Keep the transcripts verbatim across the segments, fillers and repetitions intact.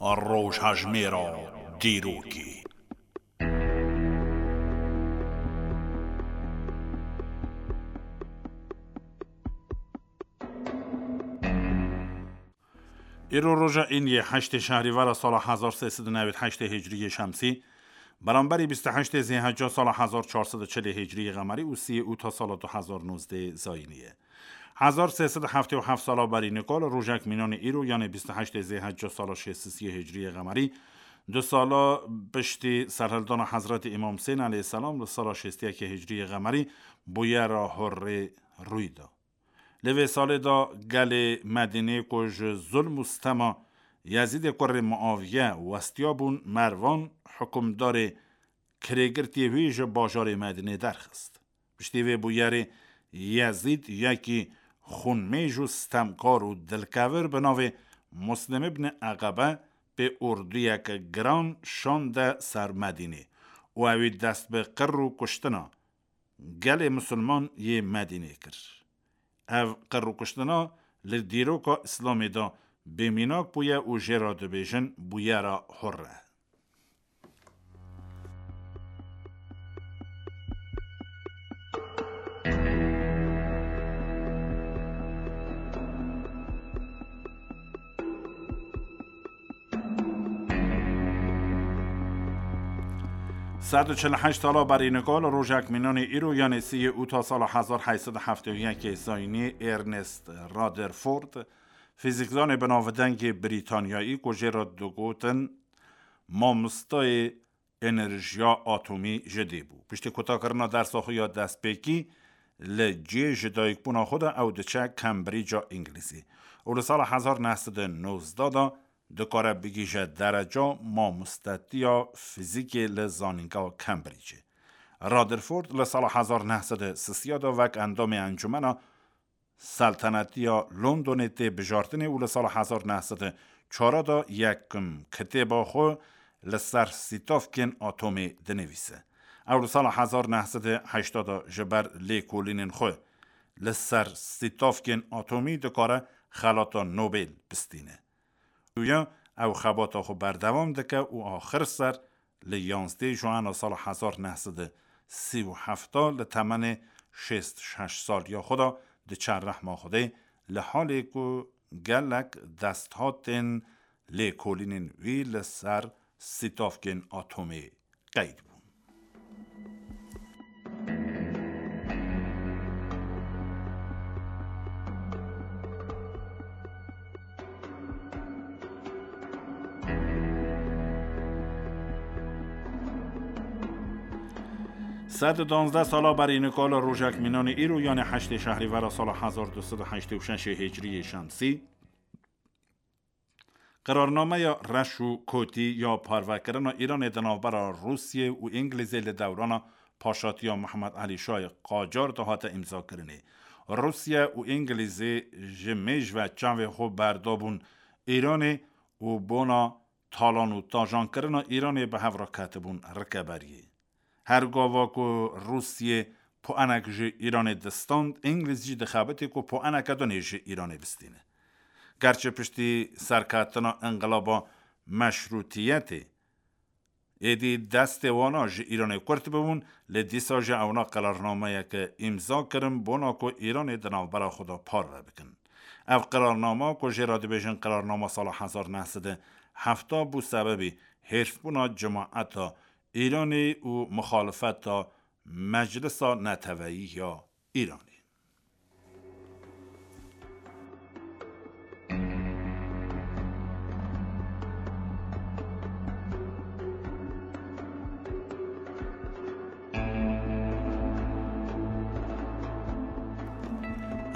Rojhejmêra dîrokê. Îro roja Îniyê heştê şehrîvera sala hezar sê sed û newî heştê hicriyê şemsî, beramberî bîst û heştê zêhecca sala hezar çar sed û çilê hicriyê qemerî û sîyê ûta sala du hezar nozdeh zayînî ye. Hezar sê sed û heftê û heft sala berî nika li rojek mînanê îro, yanê bîst û heştê zêhecca sala şêst û sîyê hicriyê qemerî, du sala piştî serhildana Hezretî Îmam Husên aleyhisselam li sala şêst û yekê hicriyê qemerî, bûyera Hurrê rûy da. Li vê salê de gelê Medînê ku ji zulm û stema Yezîdê kurê Muaviye westiya bûn, Mervan, hikûmdarê kirêgirtiyê wî ji bajarê Medînê derxist. Piştî vê bûyerê Yezîd yekî xûnmêj û stemkar û dilkevir bi navê Muslim ibn Eqebe pê orduyeke giran şande ser Medînê û ewî dest bi qir û kuştina gelê misilman yê Medînê kir. Ev qir û kuştina li dîroka Îslamê de bêmînak bûye û jê re dibêjin bûyera Hurre. Sed û çil û heşt sala berî nika li rojek mînanê îro, yanê sîyê ûta sala hezar heyt sed û heftê û yekê zayînî, Ernest Rutherford, fîzîkzanê binavdengê Brîtanyayî ku jê re digotin mamostayê enerjiya atomî ji dê bû. Piştî kutakirina dersa xwe ya destpêkî li cihê ji dayikbûna xwe de ew diçe Cambridge-a Îngilîzê û li sala hezar neh sed û nozdeh de dikare bigihîje dereca mamostetiya fîzîkê li zanîngeha Cambridge-ê. Rutherford li sala hezar neh sed û sisî de wek endamê Encûmena Seltenetiya Londonê tê bijartinê û li sala hezar neh sed û çar de yekim kitêba xwe li ser sîtavkên atomê dinivîse. Ew li sala hezar neh sed û heştê de ji ber lêkolînên xwe li ser sîtavkên atomî dikare xelata Nobel bistîne. Duya ew xebata xwe berdewam dike û axir ser li yanzdeh Juana sala hezar neh sed û sî û heft li temenê şêst û şeş saliya xwe de diçe rehma Xwedê, li halê ku gelek desthatên lêkolînên wî li ser sîtavkên atomê qeyd bûn. Sed û danzdeh sala berî nika li rojek mînanê îro, yanê heştê şehrîvera sala hezar du sed û heştê û şeş hicriyê şemsî, qirarnameya reş û kotî ya parvekirina Îranê di navbera Rûsiyê û Îngilîzê li dewrana paşatiya Mihemed Elî Şahê Qacar de hate îmzakirinê. Rûsiye û Îngilîzê ji mêj ve çavê xwe berdabûn Îranê û bona talan û tajankirina Îranê bi hev re ketibûn rikeberiyê. Her gava ku Rûsiyê poenek ji Îranê distand, Îngilîz jî dixebitî ku poeneke din ê ji Îranê bistîne. Gerçi piştî serketina înqilaba meşrûtiyetê êdî destê wana ji Îranê kurt bibûn, lê dîsa jî ewna qirarnameyeke îmza kirin bona ku Îranê di navbera xwe de parve bikin. Ev qirarnama ku jê re dibêjin qirarnama sala hezar neh sed û heft bû sebebî hêrsbûna cemaeta Îranê û muxalifeta Meclisa Neteweyî ya Îranê.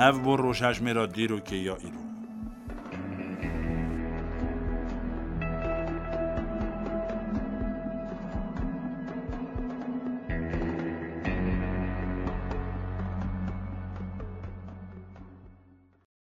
Ev bû rojhejmêra dîrokê ya îro.